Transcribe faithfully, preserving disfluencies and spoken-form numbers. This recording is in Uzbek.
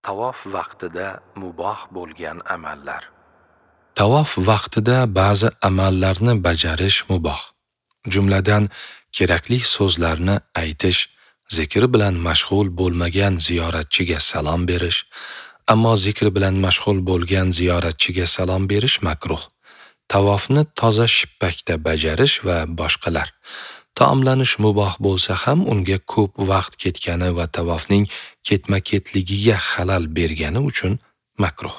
Tavof vaqtida muboh bo'lgan amallar. Tavof vaqtida ba'zi amallarni bajarish muboh. Jumladan, kerakli so'zlarni aytish, zikr bilan mashg'ul bo'lmagan ziyoratchiga salom berish, ammo zikr bilan mashg'ul bo'lgan ziyoratchiga salom berish makruh. Tavofni toza shippakda bajarish va boshqalar. Taomlanish muboh bo'lsa ham unga ko'p vaqt ketgani va tavofning ketma-ketligiga xalal bergani uchun makruh.